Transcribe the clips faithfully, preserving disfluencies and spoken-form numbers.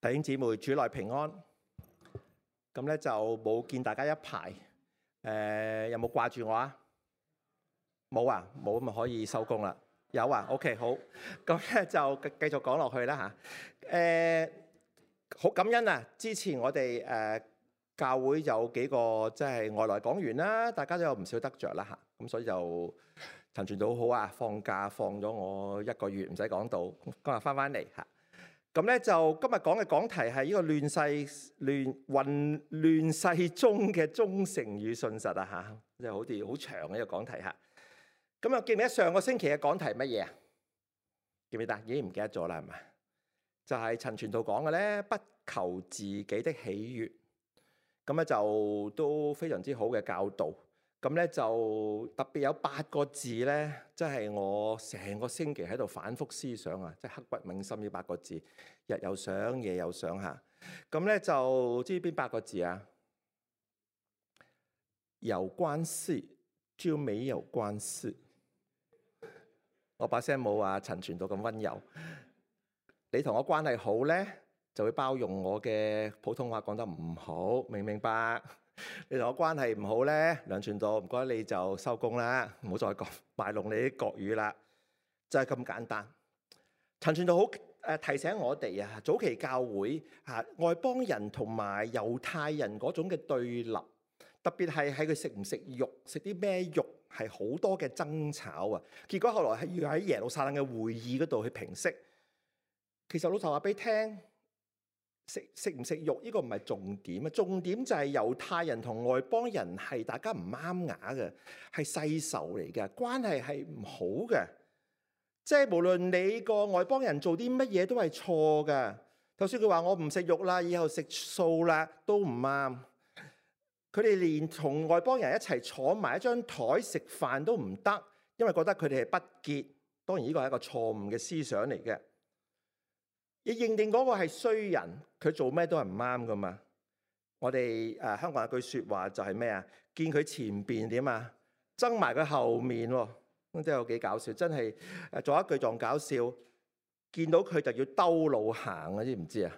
弟兄姊妹，主內平安。咁咧就冇見大家一排，誒、呃、有冇掛住我啊？冇啊，冇咁咪可以收工啦。有啊 ，OK 好。咁咧就繼續講落去啦嚇。誒、好感恩啊！之前我哋誒、呃、教會有幾個即係外來講員啦，大家都有唔少得着啦嚇。咁所以就陳傳道好啊，放假放咗我一個月，唔使講到，今日翻翻嚟嚇。咁咧就今日講嘅講題係呢個亂世亂混亂世中嘅忠誠與信實啊嚇，即係好似好長嘅一個講題嚇。咁啊記唔記得上個星期嘅講題乜嘢啊？記唔記得？已經唔記得咗啦，係咪？就係陳傳道講嘅咧，不求自己的喜悅。咁咧就都非常之好嘅教導。咁咧就特別有八個字咧，即係我成個星期喺度反覆思想啊，即係刻骨銘心呢八個字，日又想，夜又想嚇。咁咧就知邊八個字啊？有關係就沒有關係。我把聲冇啊陳傳道咁溫柔。你同我關係好咧，就會包容我嘅普通話講得唔好，明唔明白？你同我關係唔好咧，梁傳道唔該你就收工啦，唔好再講賣弄你啲國語啦，就係咁簡單。陳傳道好誒提醒我哋啊，早期教會嚇外邦人同埋猶太人嗰種嘅對立，特別係喺佢食唔食肉，食啲咩肉係好多嘅爭吵啊。結果後來係要喺耶路撒冷嘅會議嗰度去平息。其實老實話俾你聽。食食唔食肉呢個唔係重點啊，重點就係猶太人同外邦人係大家唔啱牙嘅，係世仇嚟嘅，關係係唔好嘅。即係無論你個外邦人做啲乜嘢都係錯嘅。就算佢話我唔食肉啦，以後食素啦，都唔啱。佢哋連同外邦人一齊坐埋一張台食飯都唔得，因為覺得佢哋係不潔。當然呢個係一個錯誤嘅思想嚟嘅。你認定嗰個係衰人，佢做咩都係唔啱噶嘛？我哋誒、呃、香港有句説話就係咩啊？見佢前邊點啊，憎埋佢後面喎，咁真係有幾搞笑！真係誒做一句仲搞笑，見到佢就要兜路行啊！知唔知啊？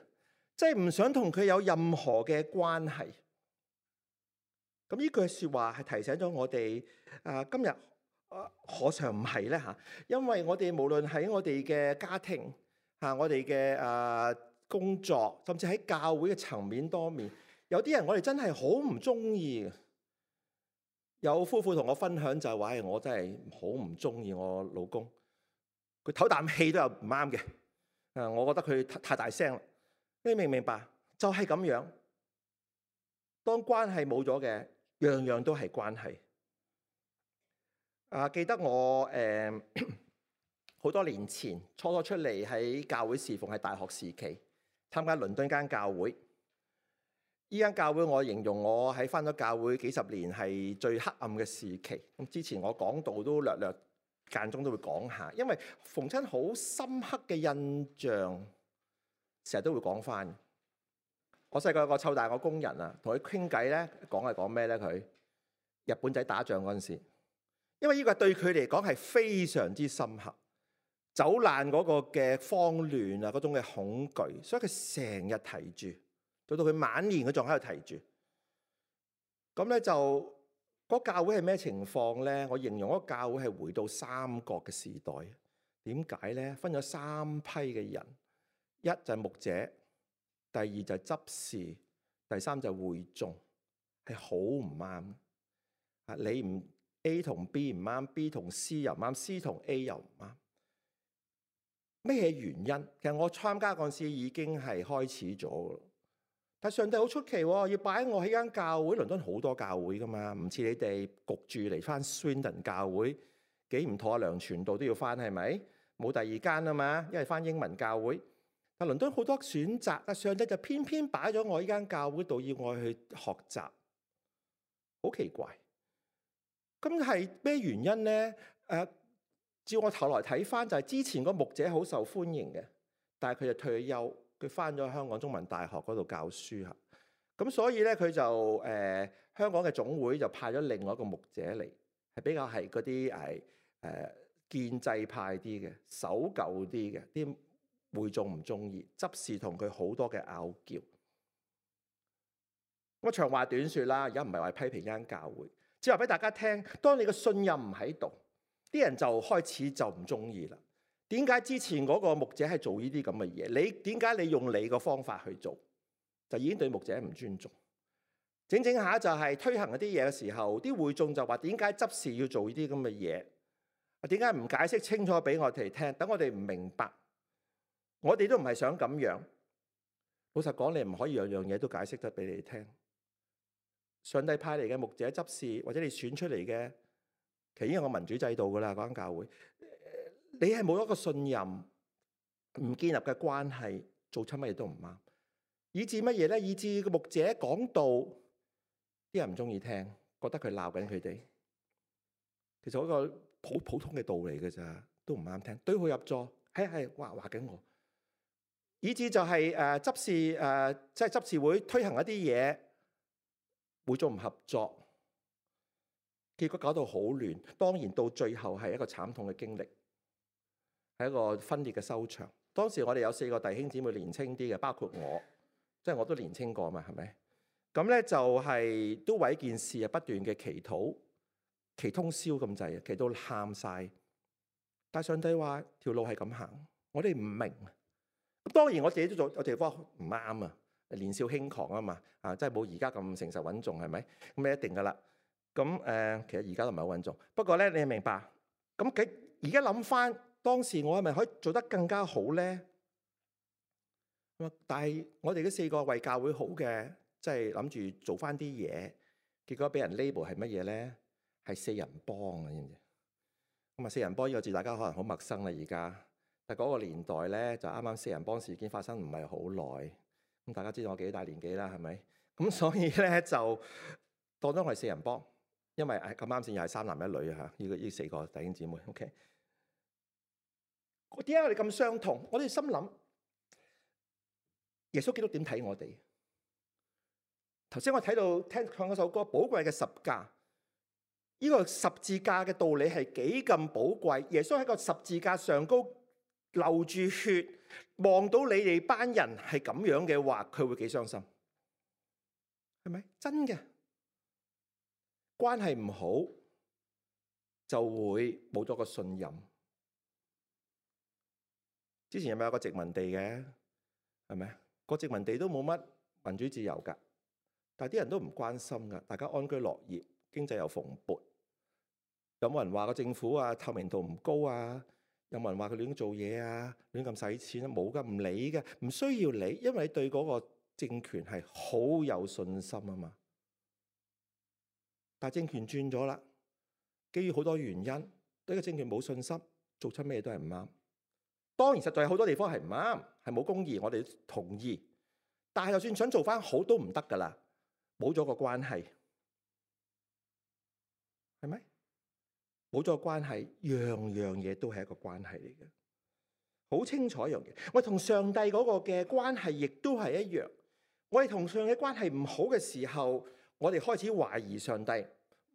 即係唔想同佢有任何嘅關係。咁呢句説話係提醒咗我哋誒、呃、今日誒何嘗唔係咧嚇？因為我哋無論喺我哋嘅家庭。嚇！我哋嘅誒工作，甚至喺教會嘅層面多面，有啲人我哋真係好唔中意嘅。有夫婦同我分享就係話：我真係好唔中意我老公，佢唞啖氣都有唔啱嘅。誒，我覺得佢太大聲啦。你明唔明白？就係咁樣。當關係冇咗嘅，樣樣都係關係。啊！記得我誒。呃好多年前初初出嚟喺教會侍奉，係大學時期參加倫敦間教會。依間教會我形容我喺返咗教會幾十年係最黑暗嘅時期。咁之前我講道都略略間中都會講下，因為逢親好深刻嘅印象，成日都會講返。我細個有個湊大我工人啊，同佢傾偈咧，講係講咩咧？佢日本仔打仗嗰陣時，因為呢個對佢嚟講係非常之深刻。走難嗰個嘅慌亂啊，嗰種嘅恐懼，所以佢成日提住，到到佢晚年佢仲喺度提住。咁咧就嗰、那個、教會係咩情況咧？我形容嗰個教會係回到三國嘅時代。點解咧？分咗三批嘅人，一就係牧者，第二就係執事，第三就係會眾，係好唔啱。啊，你唔 A 同 B 唔啱 ，B 同 C 又唔啱 ，C 同 A 又唔啱。咩原因？其實我參加嗰陣時已經係開始咗，但上帝好出奇喎，要擺我喺間教會。倫敦好多教會噶嘛，唔似你哋焗住嚟翻 Swindon 教會，幾唔妥啊！梁傳道都要翻，係咪？冇第二間啊嘛，因為翻英文教會。但倫敦好多選擇，但上帝就偏偏擺咗我呢間教會度，要我去學習，好奇怪。咁係咩原因咧？誒、呃？照我頭來睇翻，就係之前個牧者好受歡迎嘅，但係佢就退咗休，佢翻咗香港中文大學嗰度教書嚇。咁所以咧，佢就誒、呃、香港嘅總會就派咗另外一個牧者嚟，係比較係嗰啲係誒建制派啲嘅、守舊啲嘅、啲會眾唔中意，執事同佢好多嘅拗撬。我長話短說啦，而家唔係話批評呢間教會，只係話俾大家聽，當你嘅信任唔喺度，啲人就開始就唔中意啦。點解之前嗰個牧者係做呢啲咁嘅嘢？你點解你用你個方法去做，就已經對牧者唔尊重？整整下就係推行一啲嘢嘅時候，啲會眾就話：點解執事要做呢啲咁嘅嘢？點解唔解釋清楚俾我哋聽？等我哋唔明白。我哋都唔係想咁樣。老實講，你唔可以樣樣嘢都解釋得俾你聽。上帝派嚟嘅牧者執事，或者你選出嚟嘅，其實已經有個民主制度噶啦。嗰間教會，你係冇一個信任、唔建立嘅關係，做親乜嘢都唔啱，以致乜嘢咧？以致個牧者講道，啲人唔中意聽，覺得佢鬧緊佢哋。其實嗰個普普通嘅道理嘅咋，都唔啱聽。對號入座，係係話話緊我，以致就係誒執事誒，即係執事會推行一啲嘢。會眾唔合作，結果搞到好亂。當然到最後係一個慘痛嘅經歷，係一個分裂嘅收場。當時我哋有四個弟兄姊妹年青啲嘅，包括我，即係我都年青過嘛，係咪？咁咧就係都為件事啊不斷嘅祈禱，祈通宵咁滯，祈到喊晒。但上帝話條路係咁行，我哋唔明。咁當然我自己都做有地方唔啱啊。年少輕狂啊嘛，啊，真係冇而家咁誠實穩重，係咪？咁你一定噶啦。咁誒、呃，其實而家都唔係好穩重。不過咧，你明白？咁佢而家諗翻當時，我係咪可以做得更加好咧？但係我哋嗰四個為教會好嘅，即係諗住做翻啲嘢，結果俾人 label 係乜嘢咧？係四人幫啊，知唔知？咁啊，四人幫呢個字大家可能好陌生啦，而家。但係嗰個年代咧，就啱啱四人幫事件發生唔係好耐。咁大家知道我幾大年紀啦，係咪？咁所以咧就當咗我係四人幫，因為誒咁啱先又係三男一女啊嚇，呢個呢四個弟兄姊妹。OK， 點解我哋咁相同？我哋心諗耶穌基督點睇我哋？頭先我睇到聽唱嗰首歌，寶貴嘅十架，呢個十字架嘅道理係幾咁寶貴？耶穌喺個十字架上高流住血。望到你哋班人係咁樣嘅話，佢會幾傷心？係咪真嘅？關係唔好就會冇咗個信任。之前有冇有個殖民地嘅？係咪？個殖民地都冇乜民主自由噶，但係啲人都唔關心噶，大家安居樂業，經濟又蓬勃。有冇人話個政府啊透明度唔高啊？有冇人話佢亂做嘢啊？亂咁使錢啊？冇噶，唔理嘅，唔需要理，因為你對嗰個政權係好有信心啊嘛。但係政權轉咗啦，基於好多原因，對個政權冇信心，做出咩都係唔啱。當然實在有好多地方係唔啱，係冇公義，我哋同意。但係就算想做翻好都唔得噶啦，冇咗個關係，係咪？冇咗個關係，樣樣嘢都係一個關係嚟嘅，好清楚一樣嘢。我哋同上帝嗰個嘅關係亦都係一樣。我哋同上帝關係唔好嘅時候，我哋開始懷疑上帝，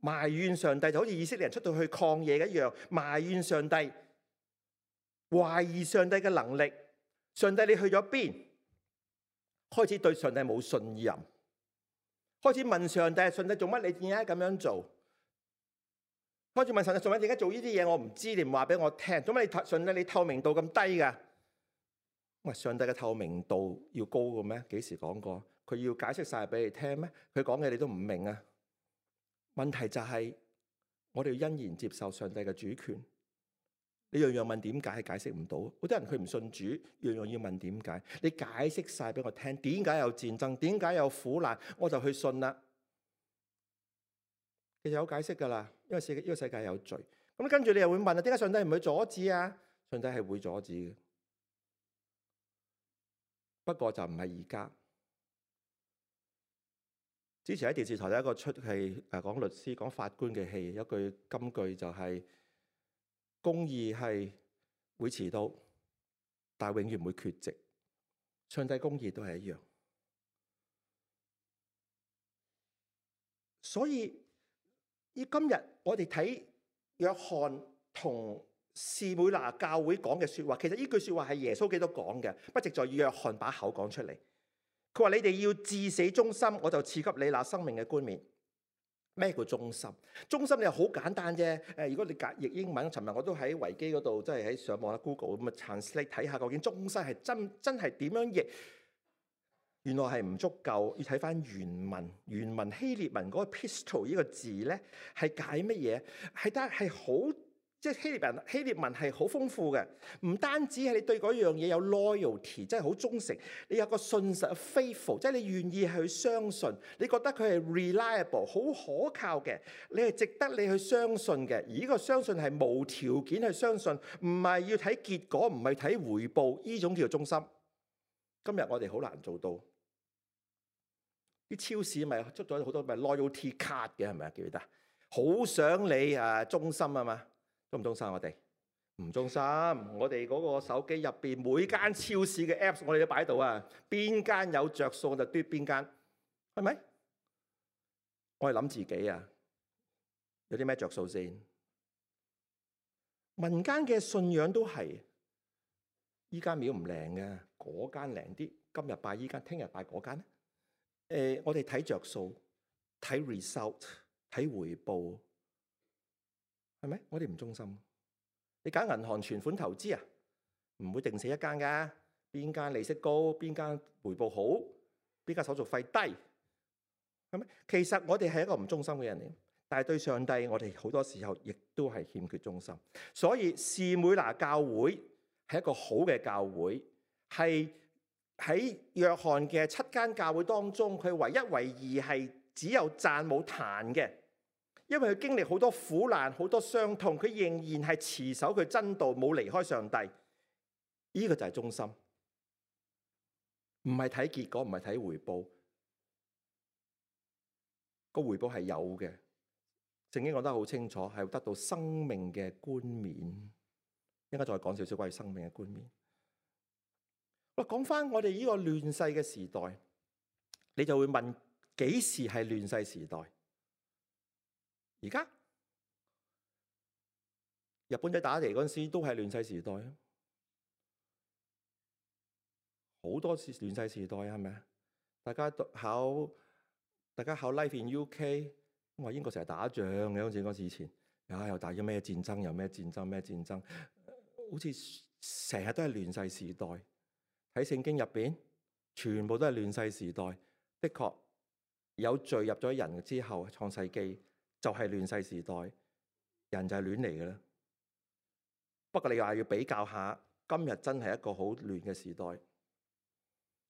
埋怨上帝，就好似以色列人出到去曠野一樣，埋怨上帝，懷疑上帝嘅能力。上帝你去咗邊？開始對上帝冇信任，開始問上帝：上帝做乜？你點解咁樣做？開始問上帝：上帝點解做呢啲嘢？我唔知，你唔話俾我聽。做乜你上帝你透明度咁低噶？喂，上帝嘅透明度要高嘅咩？幾時講過？佢要解釋晒俾你聽咩？佢講嘅你都唔明啊！問題就係、是、我哋要欣然接受上帝嘅主權。你樣樣問點解係解釋唔到？好多人佢唔信主，樣樣要問點解。你解釋晒俾我聽，點解有戰爭？點解有苦難？我就去信啦。其實有解釋噶啦，因為世呢個世界有罪。咁跟住你又會問啊，點解上帝唔去阻止啊？上帝係會阻止嘅，不過就唔係而家。之前喺電視台有一個出戲，誒講律師、講法官嘅戲，有句金句就係、是：公義係會遲到，但係永遠唔會缺席。上帝公義都係一樣。所以，以今日我哋睇約翰同士每拿教會講嘅說話，其實呢句說話係耶穌基督講嘅，不直在約翰把口講出嚟。佢話你哋要至死忠心，我就賜給你那生命嘅冠冕。咩叫忠心？忠心你又好簡單啫。誒，如果你譯英文，尋日我都喺維基嗰度，即係喺上網啦 Google 咁啊 translate 睇下究竟忠心係真真係點樣譯？原來係唔足夠，要睇翻原文。原文希臘文嗰個 pistos 呢個字咧係解乜嘢？係得係好。即係希臘文，希臘文係好豐富嘅，唔單止係你對嗰樣嘢有 loyalty，即係好忠誠，你有個信實 faithful，即係你願意去相信，你覺得佢係 reliable，好可靠嘅，你係值得你去相信嘅。而呢個相信係無條件去相信，唔係要睇結果，唔係睇回報，呢種叫做忠心。今日我哋好難做到。啲超市咪出咗好多咪 loyalty card 嘅，係咪啊？記得，好想你啊忠心啊嘛。忠唔忠心？我哋唔忠心。我哋嗰個手機入邊每間超市嘅 apps， 我哋都擺喺度啊。邊間有着數就嘟邊間，係咪？我係諗自己啊，有啲咩着數先？民間嘅信仰都係，依間廟唔靈嘅，嗰間靈啲。今日拜依間，聽日拜嗰間咧。誒，我哋睇着數，睇 result， 睇回報。係咪？我哋唔忠心。你揀銀行存款投資啊，唔會定死一間㗎。邊間利息高，邊間回報好，邊間手續費低，係咪？其實我哋係一個唔忠心嘅人嚟，但係對上帝，我哋好多時候亦都係欠缺忠心。所以士每拿教會係一個好嘅教會，係喺約翰嘅七間教會當中，佢唯一唯二係只有讚冇彈嘅。因為佢經歷好多苦難、好多傷痛，佢仍然係持守佢真道，冇離開上帝。呢、這個就係忠心，唔係睇結果，唔係睇回報。個回報係有嘅，聖經講得好清楚，係得到生命嘅冠冕。應該再講少少關於生命嘅冠冕。我講翻我哋呢個亂世嘅時代，你就會問：幾時係亂世時代？而家日本仔打嚟嗰陣時都係亂世時代啊！好多次亂世時代係咪啊？大家考大家考 Life in U K， 話英國成日打仗嘅，好似嗰時以前啊，又打咗咩戰爭，又咩戰爭咩戰爭，好似成日都係亂世時代。喺聖經入邊，全部都係亂世時代。的確有罪入咗人之後，創世記就係亂世時代，人就係亂嚟嘅啦。不過你話要比較下，今日真係一個好亂嘅時代。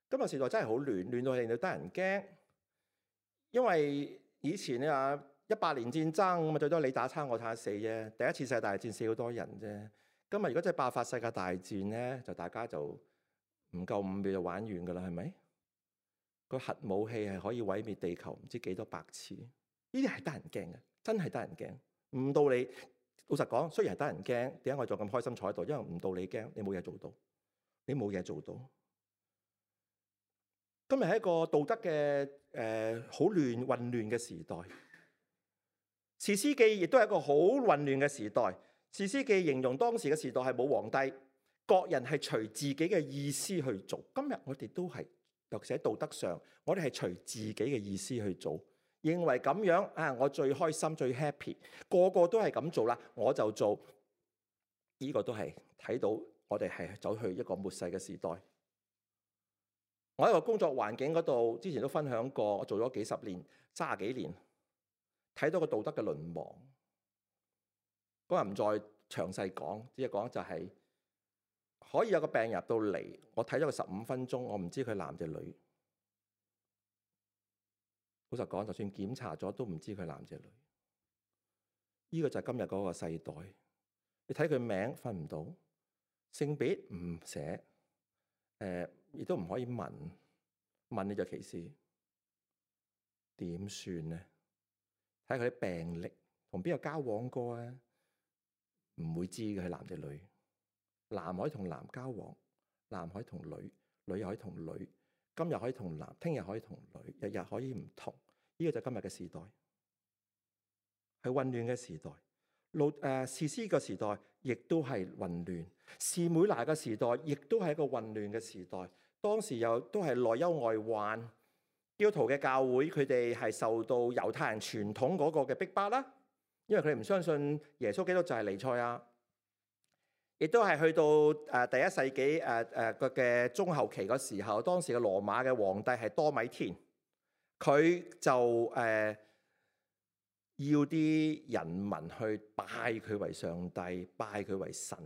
今日時代真係好亂，亂到令到得人驚。因為以前你話一百年戰爭咁啊，最多你打差我打死啫。第一次世界大戰死好多人啫。今日如果真係爆發世界大戰咧，就大家就唔夠五秒就玩完噶啦，係咪？個核武器係可以毀滅地球唔知幾多百次。呢啲係得人驚嘅，真係得人驚。唔到你，老實講，雖然係得人驚，點解我仲咁開心坐喺度？因為唔到你驚，你冇嘢做到，你冇嘢做到。今日係一個道德嘅誒好亂混亂嘅時代。士師記亦都係一個好混亂嘅時代。士師記形容當時嘅時代係冇皇帝，各人係隨自己嘅意思去做。今日我哋都係，尤其喺道德上，我哋係隨自己嘅意思去做。認為咁樣啊，我最開心最 happy， 個個都係咁做啦，我就做。呢個都係睇到我哋係走去一個末世嘅時代。我喺個工作環境嗰度，之前都分享過，我做咗幾十年，三十幾年，睇到個道德嘅淪亡。嗰日唔再詳細講，只係講就係可以有個病人入到嚟，我睇咗佢十五分鐘，我唔知佢男定女。老實講，就算檢查咗，都唔知佢男定女。呢個就係今日嗰個世代。你睇佢名分唔到，性別唔寫，誒亦都唔可以問，問你就歧視，點算呢？睇佢啲病歷，同邊個交往過啊？唔會知嘅係男定女。男可以同男交往，男可以同女，女又可以同女。今日可以同男，聽日可以同女，日日可以唔同。呢個就係今日嘅時代，係混亂嘅時代。路誒士師嘅時代亦都係混亂，士每拿嘅時代亦都係一個混亂嘅時代。當時又都係內憂外患，基督徒嘅教會佢哋係受到猶太人傳統嗰個嘅逼迫啦，因為佢哋唔相信耶穌基督就係彌賽亞。亦都係去到誒第一世紀誒誒個嘅中後期嗰時候，當時嘅羅馬嘅皇帝係多米田，佢就誒、呃、要啲人民去拜佢為上帝，拜佢為神。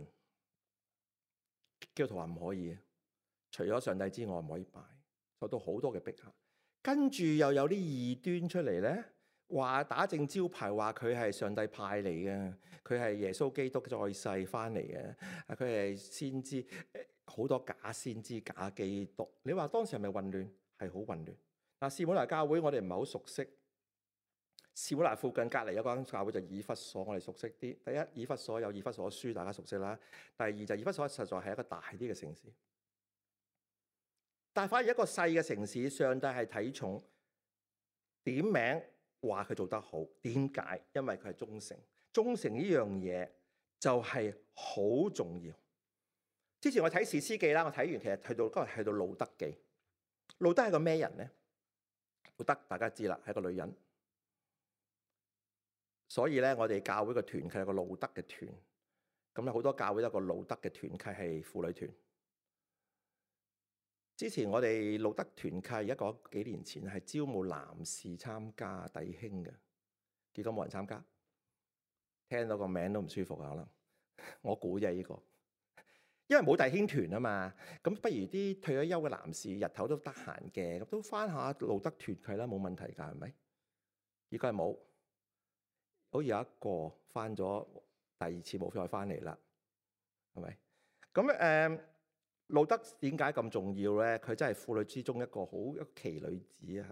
基督徒話唔可以，除咗上帝之外唔可以拜，受到好多嘅逼嚇。跟住又有啲異端出嚟咧，話打正招牌，話佢係上帝派嚟嘅，佢係耶穌基督在世翻嚟嘅，佢係先知，好多假先知、假基督。你話當時係咪混亂？係好混亂。嗱，士每拿教會我哋唔係好熟悉，士每拿附近隔離有間教會就以弗所，我哋熟悉啲。第一，以弗所有以弗所書，大家熟悉啦。第二就以弗所實在係一個大啲嘅城市，但係反而一個細嘅城市，上帝係睇重點名。話佢做得好，點解？因為佢係忠誠。忠誠呢樣嘢就係好重要。之前我睇士師記啦，我睇完其實去到今日去到路德記。路德係個咩人咧？路德大家知啦，係個女人。所以咧，我哋教會嘅團契係個路德嘅團。咁咧，好多教會都有個路德嘅團契係婦女團。之前我哋路德團契一個幾年前係招募男士參加弟兄嘅，結果冇人參加，聽到個名都唔舒服啊！可能我估啫呢個，因為冇弟兄團啊嘛，咁不如啲退咗休嘅男士日頭都得閒嘅，咁都翻下路德團契啦，冇問題㗎，係咪？而家係冇，好似有一個翻咗第二次冇再翻嚟啦，係咪？咁誒。呃路德點解咁重要咧？佢真係婦女之中一個好奇女子啊！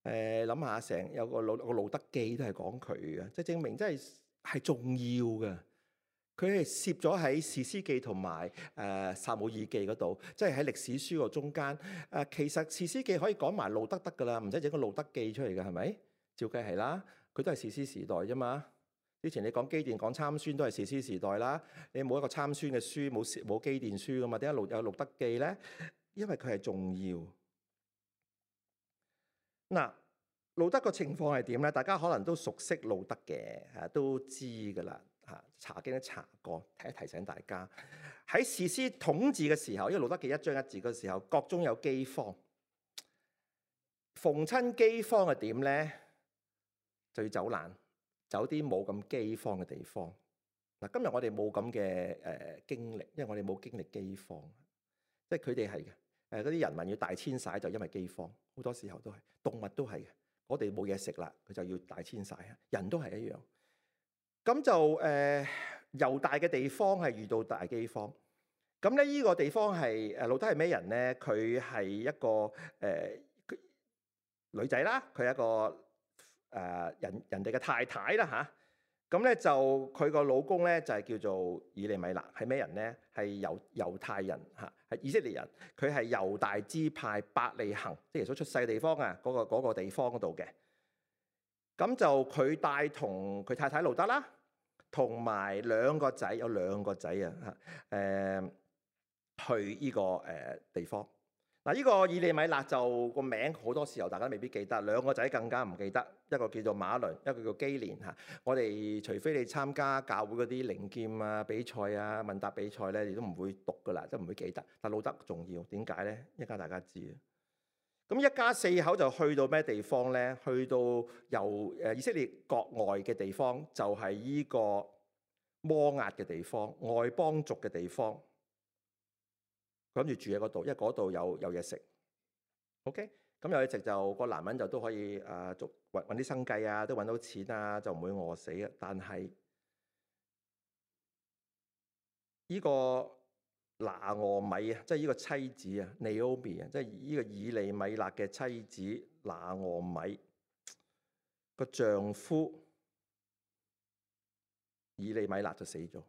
誒，諗下成有個路個路德記都係講佢嘅，即係證明真係係重要嘅。佢係攝咗喺士師記同埋誒撒母耳記嗰度，即係喺歷史書個中間。誒，其實士師記可以講埋路德得噶啦，唔使整個路德記出嚟嘅，係咪？照計係啦，佢都係士師時代啫嘛。之前你講基甸講參孫都係士師時代啦，你冇一個參孫嘅書，冇冇基甸書噶嘛？點解路有路德記咧？因為佢係重要。嗱，路德個情況係點咧？大家可能都熟悉路德嘅，嚇都知噶啦，嚇查經都查過，提一提醒大家。喺士師統治嘅時候，因為路德記一章一字嘅時候，國中有饑荒，逢親饑荒係點咧？就要走難。走啲冇咁饑荒嘅地方。嗱，今日我哋冇咁嘅誒經歷，因為我哋冇經歷饑荒，即係佢哋係嘅。誒嗰啲人民要大遷徙就因為饑荒，好多時候都係動物都係嘅。我哋冇嘢食啦，佢就要大遷徙啊。人都係一樣。咁就誒猶大嘅地方係遇到大饑荒。咁咧呢個地方係誒路德係咩人咧？佢係一個誒、呃、女仔啦，佢係一個。誒、呃、人人哋嘅太太啦嚇，咁、啊、咧就佢個老公咧就係、是、叫做以利米勒，係咩人咧？係猶猶太人嚇，係、啊、以色列人。佢係猶大支派伯利恆，即係耶穌出世嘅地方啊，嗰、那個那個地方嗰度嘅。咁就佢帶同佢太太路德啦，同埋兩個仔，有兩個仔啊嚇，誒去呢、這個誒、呃、地方。嗱，呢個以利米勒就個名好多時候大家未必記得，兩個仔更加唔記得，一個叫做馬倫，一個叫基連嚇。我哋除非你參加教會嗰啲靈劍啊比賽啊問答比賽咧，你都唔會讀噶啦，都唔會記得。但路德重要，點解咧？一家大家知啊。咁一家四口就去到咩地方咧？去到由誒以色列國外嘅地方，就係依個摩押嘅地方，外邦族嘅地方。諗住住喺嗰度，因為嗰度有有嘢食。OK，咁有嘢食就個男人就都可以誒做揾揾啲生計啊，都揾到錢啊，就唔會餓死啊。但係呢個拿俄米啊，即係呢個妻子啊，Naomi啊，即係呢個以利米勒嘅妻子拿俄米個丈夫以利米勒就死咗。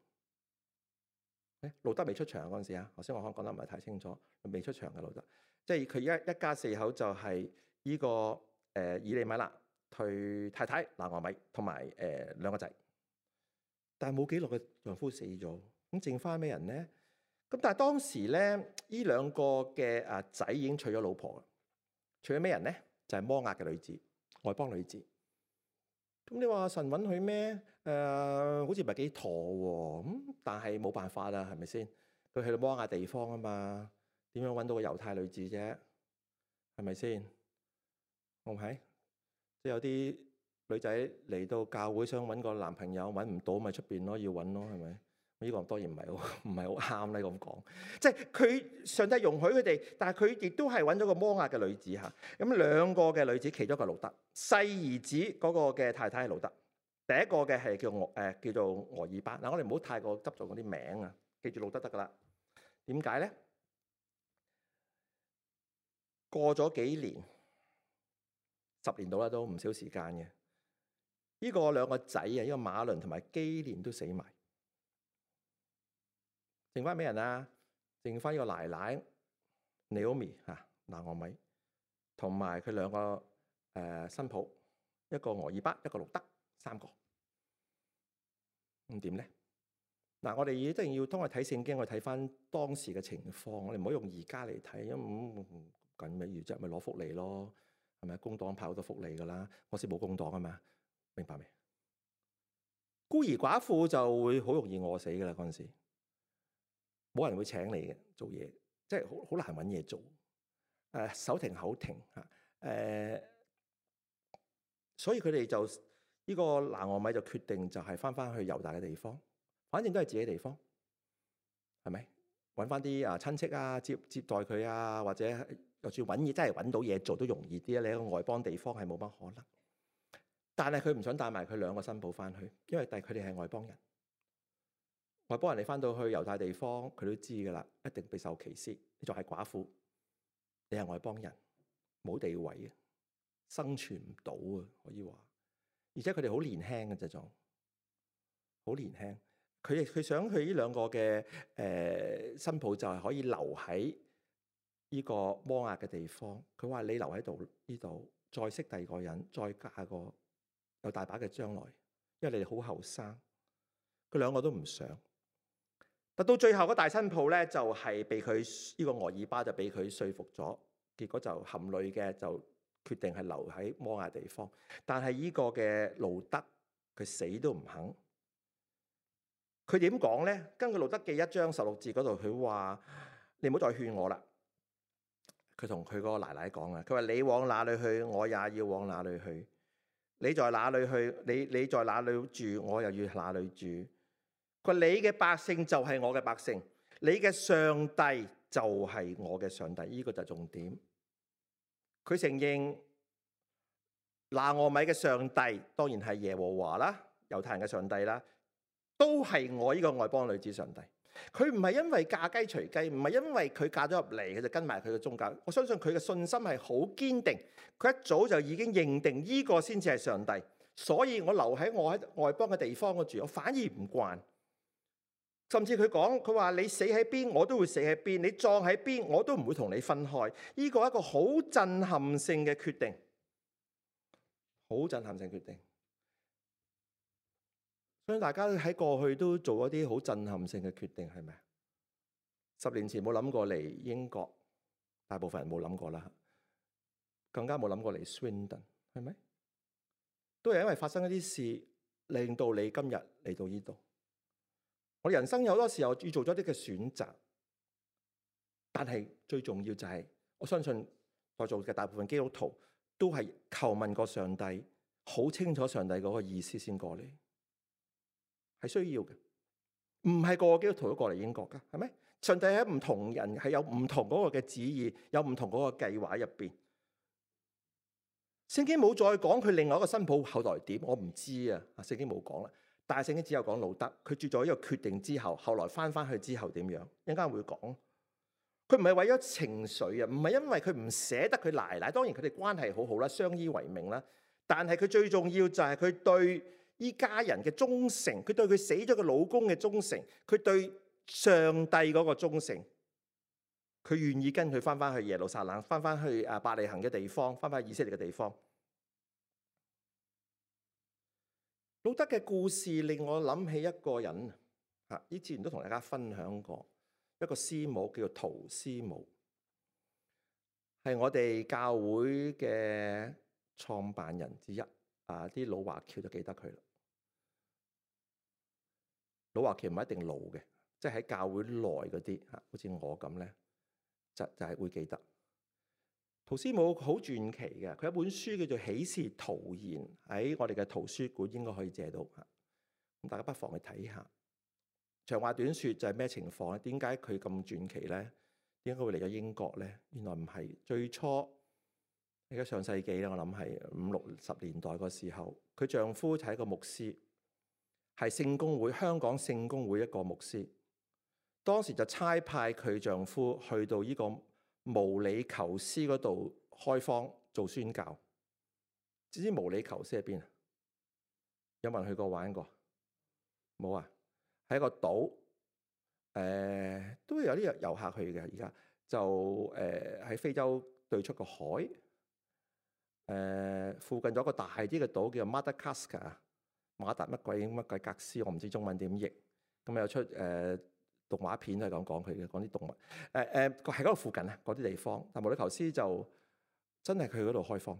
誒路德未出場嗰陣時啊，頭先我可能講得唔係太清楚，未出場嘅路德，即係佢一一家四口就係呢、這個誒、呃、以利米勒、佢太太拿俄米同埋誒兩個仔。但係冇幾耐嘅丈夫死咗，咁剩翻咩人咧？咁但係當時咧，呢兩個嘅啊仔已經娶咗老婆啦，娶咗咩人咧？就係摩押嘅女子，外邦女子。咁你話神允許咩？誒、呃，好似唔係幾妥喎。咁但係冇辦法啦，係咪先？佢去到摩押地方啊嘛，點樣揾到個猶太女子啫？係咪先？我唔係，即係有啲女仔嚟到教會想揾個男朋友，揾唔到咪出邊咯，要揾咯，係咪？呢個當然唔係好唔係好啱咧咁講。即係佢上帝容許佢哋，但係佢亦都係揾咗個摩押嘅女子嚇。咁兩個嘅女子，其中一個路得，細兒子嗰個嘅太太係路得，第一個嘅係叫俄誒叫做俄珥巴。嗱，我哋唔好太過執著嗰啲名啊，記住路得得噶啦。點解咧？過咗幾年，十年到啦，都唔少時間嘅。呢個兩個仔啊，呢個馬倫同埋基連都死埋。剩翻咩人啊？剩翻呢個奶奶 Naomi 嚇，拿俄米，同埋佢兩個誒新抱，一個俄珥巴，一個路得，三個。咁點咧？嗱，我哋一定要當我睇聖經，我睇翻當時嘅情況，我哋唔好用而家嚟睇，因為咁緊咩要啫？咪攞福利咯，係咪？工黨派好多福利噶啦，我先冇工黨啊嘛，明白未？孤兒寡婦就會好容易餓死噶啦，嗰陣時。冇人會請你嘅做嘢，即係好好難揾嘢做。誒、呃、手停口停嚇，誒、呃，所以佢哋就呢、這個拿俄米就決定就係翻翻去猶大嘅地方，反正都係自己地方，係咪？揾翻啲啊親戚啊接接待佢啊，或者就算揾嘢真係揾到嘢做都容易啲啊！你喺個外邦地方係冇乜可能，但係佢唔想帶埋佢兩個新抱翻去，因為但係佢哋係外邦人。外邦人你翻到去猶太地方，佢都知噶啦，一定備受歧視。你仲係寡婦，你係外邦人，冇地位啊，生存唔到啊，可以話。而且佢哋好年輕嘅啫，仲好年輕。佢佢想去呢兩個嘅誒、呃、新抱就係可以留喺呢個摩押嘅地方。佢話你留喺度呢度，再識第二個人，再嫁個有大把嘅將來，因為你哋好後生。佢兩個都唔想。但到最後嗰大新抱咧，就係被佢呢個俄珥巴就俾佢說服咗，結果就含淚嘅就決定係留喺摩押地方。但係呢個嘅路得佢死都唔肯。佢點講咧？根據路得記一章十六節嗰度，佢話：你唔好再勸我啦。佢同佢個奶奶講啊，佢話：你往哪裏去，我也要往哪裏去；你在哪裏去，你你在哪裏住，我又要哪裏住。佢話你嘅百姓就係我嘅百姓，你嘅上帝就係我嘅上帝，呢、這個就係重點。佢承認拿俄米嘅上帝當然係耶和華啦，猶太人嘅上帝啦，都係我呢個外邦女子上帝。佢唔係因為嫁雞隨雞，唔係因為佢嫁咗入嚟佢就跟埋佢嘅宗教。我相信佢嘅信心係好堅定，佢一早就已經認定呢個先至係上帝。所以我留喺我喺外邦嘅地方嗰住，我反而唔慣。甚至佢講，佢話你死喺邊，我都會死喺邊；你葬喺邊，我都唔會同你分開。呢個係一個好震撼性嘅決定，好震撼性決定。所以大家喺過去都做一啲好震撼性嘅決定，係咪啊？十年前冇諗過嚟英國，大部分人冇諗過啦，更加冇諗過嚟 Swindon， 係咪？都係因為發生一啲事，令到你今日嚟到呢度。我人生有好多時候要做咗啲嘅選擇，但係最重要就係、是、我相信在座嘅大部分基督徒都係求問過上帝，好清楚上帝嗰個意思先過嚟，係需要嘅。唔係個個基督徒都過嚟英國噶，係咪？上帝喺唔同人係有唔同嗰個嘅旨意，有唔同嗰個計劃入邊。聖經冇再講佢另外一個新抱後來點，我唔知啊。聖經冇講啦。但係聖經只有講路得，佢做咗呢個決定之後，後來翻翻去之後點樣？一陣間會講。佢唔係為咗情緒啊，唔係因為佢唔捨得佢奶奶。當然佢哋關係好好啦，相依為命啦。但係佢最重要就係佢對依家人嘅忠誠，佢對佢死咗嘅老公嘅忠誠，佢對上帝嗰個忠誠。佢願意跟佢翻翻去耶路撒冷，翻翻去啊伯利恆嘅地方，翻翻去以色列嘅地方。路德嘅故事令我諗起一個人啊，以前都同大家分享過，一個師母叫做陶師母，係我哋教會嘅創辦人之一啊！啲老華僑就記得佢啦。老華僑唔一定老嘅，即係喺教會內嗰啲嚇，好似我咁咧，就就係會記得。陶師母好傳奇嘅，佢有一本書叫做《喜事陶言》，喺我哋嘅圖書館應該可以借到嚇。咁大家不妨去睇下。長話短説就係咩情況咧？點解佢咁傳奇咧？點解佢會嚟咗英國咧？原來唔係最初，而家上世紀咧，我諗係五六十年代個時候，佢丈夫就係一個牧師，係聖公會香港聖公會一個牧師。當時就差派佢丈夫去到呢個毛里求斯嗰度開荒做宣教。知唔知毛里求斯喺邊啊？有冇人去過玩過？冇啊！喺一個島，誒、呃、都有啲遊客去嘅。而家就誒喺、呃、非洲對出個海，誒、呃、附近有一個大啲嘅島叫做 Madagascar，馬達乜鬼乜鬼格斯，我唔知中文點譯。咁有出誒、呃、動畫片都係講講佢嘅，講啲動物。誒誒喺嗰度附近啊，嗰啲地方。但毛里求斯就真係佢嗰度開荒，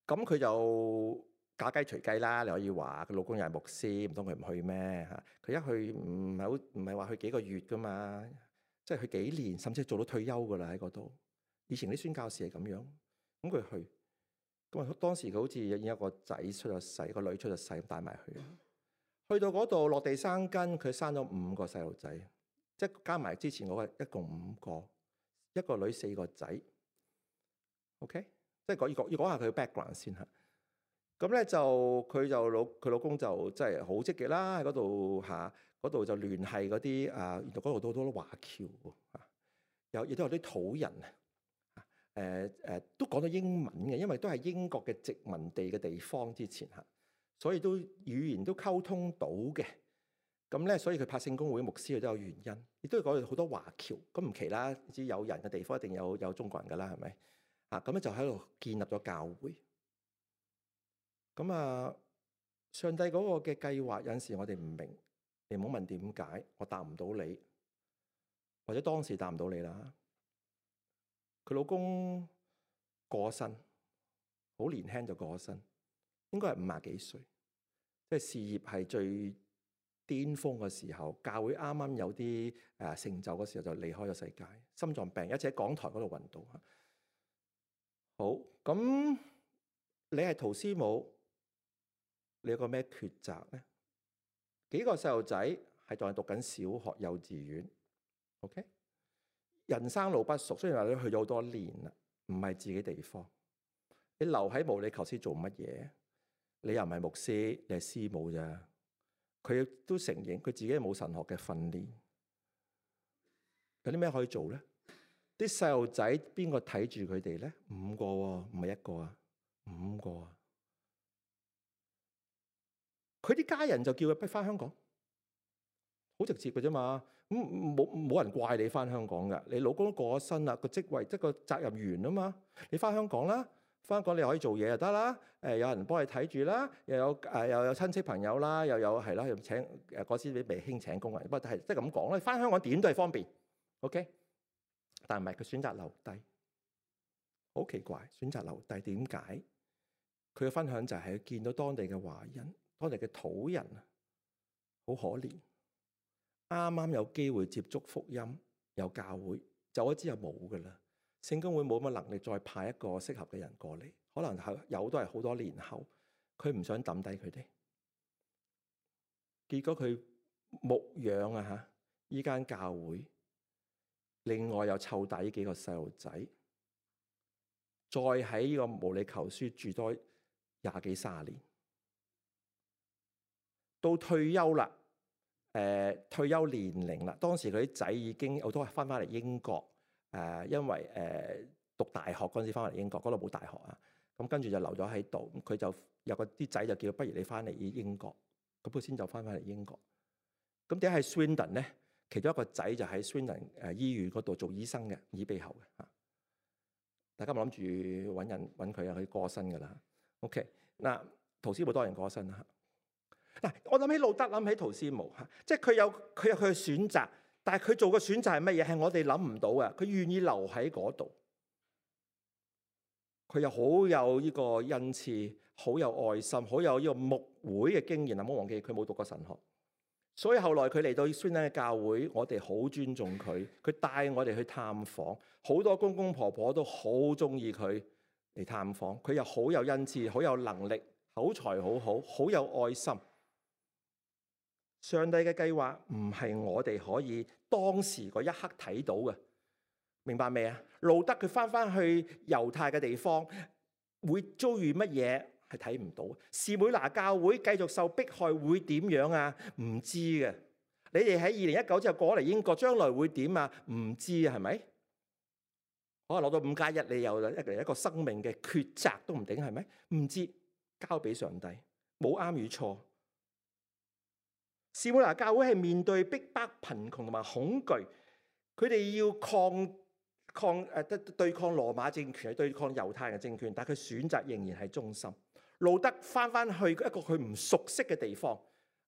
咁佢就嫁雞隨雞啦，你可以話佢老公又係牧師，唔通佢唔去咩嚇？佢一去唔係好唔係話去幾個月噶嘛，即係去幾年，甚至做到退休噶啦喺嗰度。以前啲宣教士係咁樣，咁佢去，咁啊當時佢好似已經有個仔出咗世，個女出咗世，咁帶埋去。去到嗰度落地生根，佢生咗五個細路仔，即係加埋之前嗰個一共五個，一個女四個仔。OK， 即係講要講要講下佢嘅 background 先嚇。咁咧就佢就老佢老公就真係好積極啦，喺嗰度嚇，嗰度就聯繫嗰啲啊，原來嗰度都好多華僑喎，有亦都有啲土人啊，誒誒都講到英文嘅，因為都係英國嘅殖民地嘅地方之前嚇，所以都語言都溝通到嘅。咁咧，所以佢拍聖公會牧師佢都有原因，亦都講到好多華僑，咁唔奇啦，知有人嘅地方一定有有中國人噶啦，係咪啊？咁咧就喺度建立咗教會。咁啊，上帝嗰個嘅計劃有陣時我哋唔明，你唔好問點解，我答唔到你，或者當時答唔到你啦。佢老公過身，好年輕就過身，應該係五廿幾歲，即係事業係最巔峰嘅時候，教會啱啱有啲誒成就嘅時候就離開咗世界，心臟病，一直喺講台嗰度暈倒。好，咁你係陶師母。你有個咩抉擇咧？幾個細路仔係仲係讀緊小學、幼稚園 ，OK？人生路不熟，雖然話你去咗好多年啦，唔係自己地方。你留喺毛里求斯做乜嘢？你又唔係牧師，你係師母咋？佢都承認佢自己冇神學嘅訓練。有啲咩可以做咧？啲細路仔邊個睇住佢哋咧？五個喎，唔係一個啊，五個啊。佢啲家人就叫佢逼翻香港，好直接嘅啫嘛。咁冇冇人怪你翻香港㗎。你老公都過咗身啦，個職位即係個責任完啊嘛。你翻香港啦，翻香港你可以做嘢就得啦。誒，有人幫你睇住啦，又有誒又有親戚朋友啦，又有係啦，又請誒嗰時未興請工人，不過係即係咁講啦。翻香港點都係方便，OK。但係唔係佢選擇留低，好奇怪，選擇留低點解？佢嘅分享就係見到當地嘅華人。當地嘅土人啊，好可憐，啱啱有機會接觸福音，有教會，走咗之後冇噶啦。聖公會冇乜能力再派一個適合嘅人過嚟，可能係有都係好多年後，佢唔想抌低佢哋。結果佢牧養啊嚇，依間教會，另外又湊大呢幾個細路仔，再喺呢個毛里求斯住多廿幾卅年。到退休啦，誒、呃、退休年齡啦。當時佢啲仔已經好多翻翻嚟英國，誒、呃、因為誒、呃、讀大學嗰陣時翻嚟英國，嗰度冇大學啊。咁跟住就留咗喺度，佢就有個啲仔就叫，不如你翻嚟英國，咁佢先就翻翻嚟英國。咁點解係 Swindon 咧？其中一個仔就喺 Swindon 誒醫院嗰度做醫生嘅，耳鼻喉嘅嚇。大家咪諗住揾人揾佢啊，佢過身㗎啦。OK 嗱。陶斯姆多人過身啦。嗱，我諗起路德，諗起陶斯姆嚇，即係佢有佢有佢嘅選擇，但係佢做嘅選擇係乜嘢？係我哋諗唔到嘅。佢願意留喺嗰度，佢又好有呢個恩賜，好有愛心，好有呢個牧會嘅經驗啊！唔好忘記佢冇讀過神學，所以後來佢嚟到宣恩嘅教會，我哋好尊重佢，佢帶我哋去探訪，好多公公婆婆都好中意佢嚟探訪，佢又好有恩賜，好有能力，口才好好，好有愛心。上帝嘅計劃唔係我哋可以當時嗰一刻睇到嘅，明白未啊？路德佢翻翻去猶太嘅地方，會遭遇乜嘢係睇唔到。士每拿教會繼續受迫害會點樣啊？唔知嘅。你哋喺二零一九之後過嚟英國，將來會點啊？唔知啊，係咪？可能攞到五加一，你又一嚟一個生命嘅抉擇都唔定，係咪？唔知，交俾上帝，冇啱與錯。士每拿教會係面對逼迫、貧窮同埋恐懼，佢哋要抗抗誒對抗羅馬政權，對抗猶太人政權，但係佢選擇仍然係忠心。路德翻翻去一個佢唔熟悉嘅地方，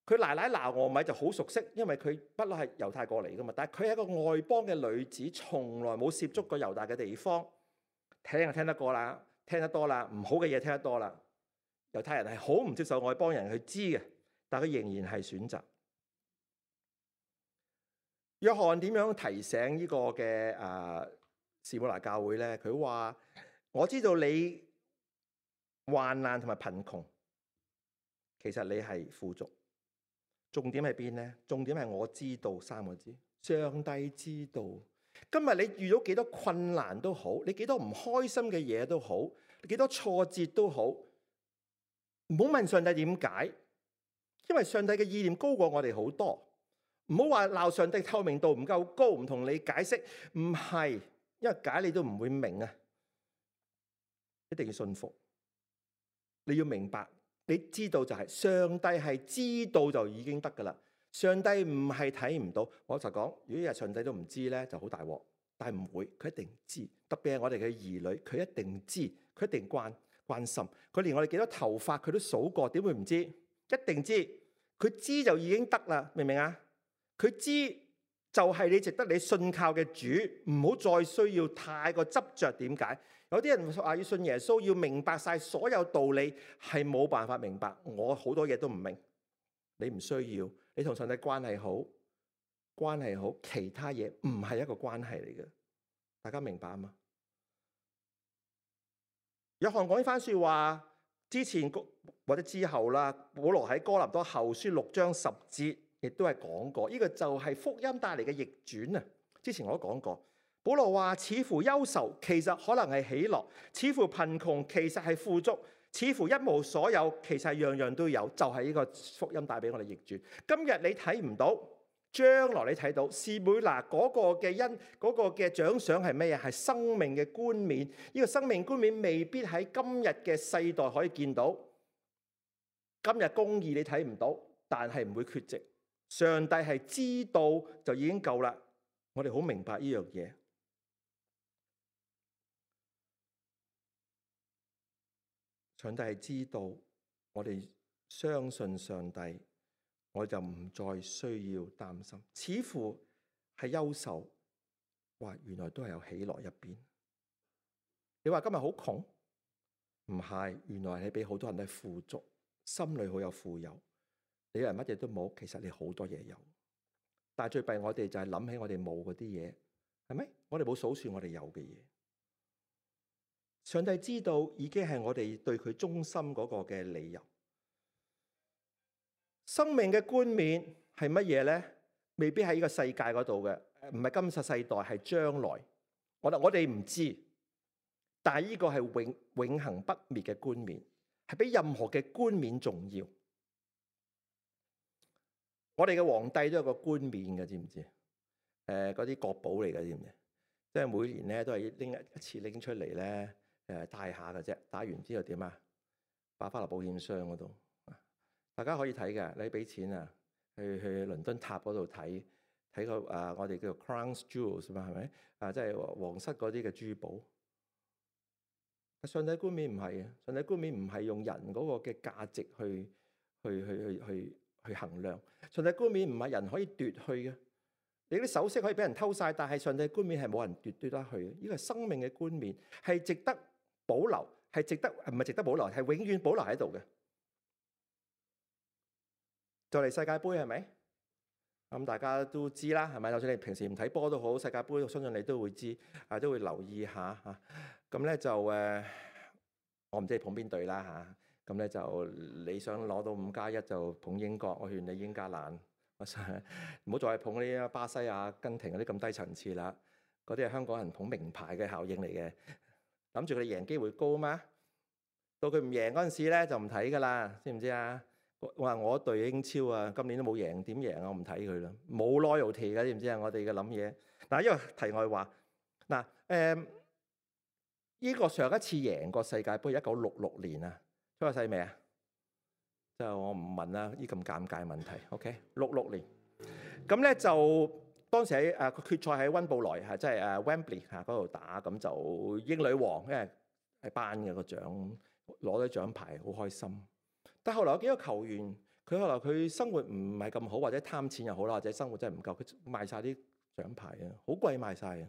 佢奶奶拿俄米就好熟悉，因為佢不嬲係猶太過嚟噶嘛。但係佢係一個外邦嘅女子，從來冇涉足過猶大嘅地方，聽就聽得過啦，聽得多啦，唔好嘅嘢聽得多啦。猶太人係好唔接受外邦人去知嘅，但係佢仍然係選擇。約翰點樣提醒呢個嘅誒士每拿教會咧？佢話：我知道你患難同埋貧窮，其實你係富足。重點係邊咧？重點係我知道三個字，上帝知道。今日你遇到幾多困難都好，你幾多唔開心嘅嘢都好，你幾多挫折都好，唔好問上帝點解，因為上帝嘅意念高過我哋好多。唔好話鬧上帝透明度唔夠高，唔同你解釋，唔係，因為解你都唔會明啊！一定要信服，你要明白，你知道就係、是、上帝係知道就已經得噶啦。上帝唔係睇唔到，我就講，如果日上帝都唔知咧，就好大鑊。但係唔會，佢一定知。特別係我哋嘅兒女，佢一定知，佢一定關關心。佢連我哋幾多頭髮佢都數過，點會唔知？一定知，佢知就已經得啦，明唔明啊？佢知就係你值得你信靠嘅主，唔好再需要太過執着。點解？有啲人話要信耶穌，要明白晒所有道理，係冇辦法明白。我好多嘢都唔明，你唔需要。你同上帝關係好，關係好，其他嘢唔係一個關係嚟嘅。大家明白啊嘛？約翰講呢番說話之前或者之後啦，保羅喺哥林多後書六章十節。亦都係講過，呢、這個就係福音帶嚟嘅逆轉啊！之前我都講過，保羅話似乎憂愁，其實可能係喜樂；似乎貧窮，其實係富足；似乎一無所有，其實係樣樣都有。就係、是、呢個福音帶俾我哋逆轉。今日你睇唔到，將來你睇到。士每拿嗰個嘅恩，嗰、那個嘅獎賞係咩啊？係生命嘅冠冕。呢、這個生命冠冕未必喺今日嘅世代可以見到。今日公義你睇唔到，但係唔會缺席。上帝係知道就已經夠啦，我哋好明白呢樣嘢。上帝係知道，我哋相信上帝，我就唔再需要擔心。似乎係憂愁，哇！原來都係有喜樂入邊。你話今日好窮，唔係，原來你俾好多人都係富足，心裏好有富有。你人乜嘢都冇，其實你好多嘢有，但係最弊我哋就係諗起我哋冇嗰啲嘢，係咪？我哋冇數算我哋有嘅嘢。上帝知道已經係我哋對佢忠心嗰個嘅理由。生命嘅冠冕係乜嘢咧？未必喺呢個世界嗰度嘅，唔係今世世代，係將來。我我哋唔知，但係呢個係永永恆不滅嘅冠冕，係比任何嘅冠冕重要。我哋嘅皇帝都有個冠冕嘅，知唔知？誒、呃，嗰啲國寶嚟嘅，知唔知？即係每年咧都係拎一次拎出嚟咧，誒戴下嘅啫。戴完之後點啊？擺翻落保險箱嗰度。大家可以睇嘅，你俾錢啊，去去倫敦塔嗰度睇睇個啊，我哋叫做 Crown Jewels 嘛，係咪？啊，即係皇室嗰啲嘅珠寶。但上帝冠冕唔係嘅，上帝冠冕唔係用人嗰個嘅價值去去去去去去衡量。上帝冠冕唔係人可以奪去嘅。你啲首飾可以俾人偷晒，但係上帝冠冕係冇人奪奪得去嘅。呢個係生命嘅冠冕，係值得保留，係值得唔係值得保留，係永遠保留喺度嘅。就嚟世界盃係咪？咁大家都知啦，係咪？就算你平時唔睇波都好，世界盃我相信你都會知，啊都會留意下嚇。咁咧就誒，我唔知你捧邊隊啦嚇。咁咧就你想攞到五加一就捧英國，我勸你英格蘭。唔好再捧嗰啲巴西、阿根廷嗰啲咁低層次啦。嗰啲係香港人捧名牌嘅效應嚟嘅，諗住佢哋贏機會高嘛。到佢唔贏嗰陣時咧，就唔睇噶啦，知唔知啊？我話我隊英超啊，今年都冇贏，點贏啊？我唔睇佢啦，冇 loyalty 嘅，知唔知啊？我哋嘅諗嘢嗱，因為題外話嗱，誒呢個上一次贏過世界盃一九六六年啊，出過世未啊？就我唔問啦，呢咁尷尬問題。OK， 六六年咁咧就當時喺誒個決賽喺溫布萊嚇，即係誒 Wembley 嚇嗰度打，咁就英女王因為係頒嘅個獎，攞咗獎牌好開心。但後來有幾個球員，佢後來佢生活唔係咁好，或者貪錢又好啦，或者生活真係唔夠，佢賣晒啲獎牌啊，好貴賣晒啊！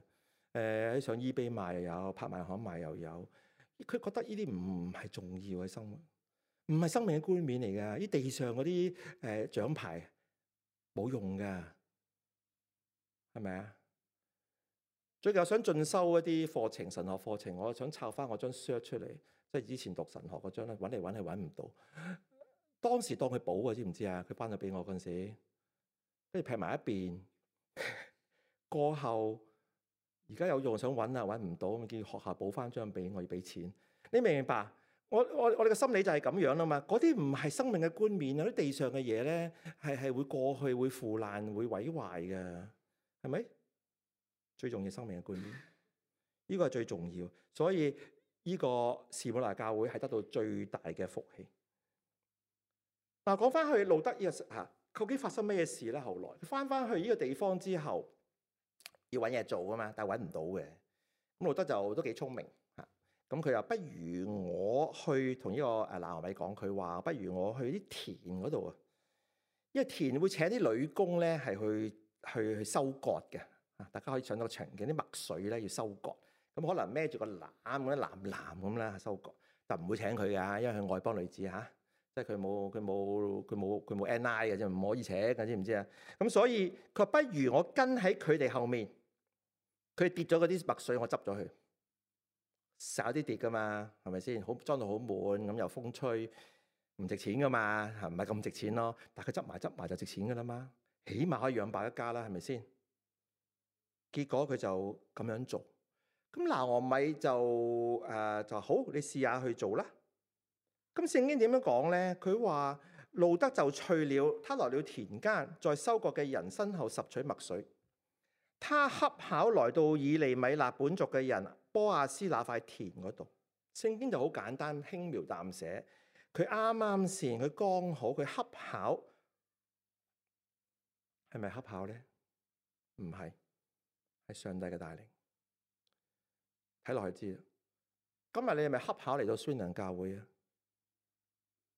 誒喺上 eBay 賣又有，拍賣行賣又有。佢覺得呢啲唔係重要嘅生活。唔係生命嘅冠冕嚟㗎，啲地上嗰啲誒獎牌冇用㗎，係咪啊？最近我想進修一啲課程，神學課程，我想抄翻我張 cert 出嚟，即係以前讀神學嗰張咧，揾嚟揾去揾唔到。當時當佢補嘅，知唔知啊？佢頒咗俾我嗰陣時，跟住劈埋一邊。過後而家有用，想揾啊揾唔到，咁叫學校補翻張俾我，要俾錢。你明唔明白？我我我哋嘅心理就係咁樣啦嘛，嗰啲唔係生命嘅冠冕啊，啲地上嘅嘢咧係係會過去、會腐爛、會毀壞嘅，係咪？最重要生命嘅冠冕，呢個係最重要，所以呢個士每拿教會係得到最大嘅福氣。嗱，講翻去路德呢個嚇，究竟發生咩事咧？後來佢翻翻去呢個地方之後，要揾嘢做噶嘛，但係揾唔到嘅。咁路德就都幾聰明。咁佢又不如我去同呢個誒拿俄米講，佢話不如我去啲田嗰度啊，因為田會請啲女工咧係去去去收割嘅啊，大家可以上到場景啲麥穗咧要收割，咁可能孭住個籃咁樣籃籃咁啦收割，但唔會請佢㗎，因為佢外邦女子嚇，即係佢冇佢冇佢冇佢冇 N I 嘅啫，唔可以請嘅，知唔知啊？咁所以佢話不如我跟喺佢哋後面，佢跌咗嗰啲麥穗，我執咗佢。少啲跌噶嘛，係咪先？好裝到好滿咁，又風吹，唔值錢噶嘛，係唔係咁值錢咯？但係佢執埋執埋就值錢噶啦嘛，起碼可以養飽一家啦，係咪先？結果佢就咁樣做，咁拿俄米就誒、呃、就好，你試下去做啦。咁聖經點樣講咧？佢話路德就去了，他來了田間，在收割嘅人身後拾取麥穗。他恰巧來到以利米勒本族嘅人波亞斯那塊田嗰度，聖經就好簡單輕描淡寫。佢啱啱先，佢剛好，佢恰巧，係咪恰巧咧？唔係，係上帝嘅帶領。睇落去知啦。今日你係咪恰巧嚟到宣揚教會啊？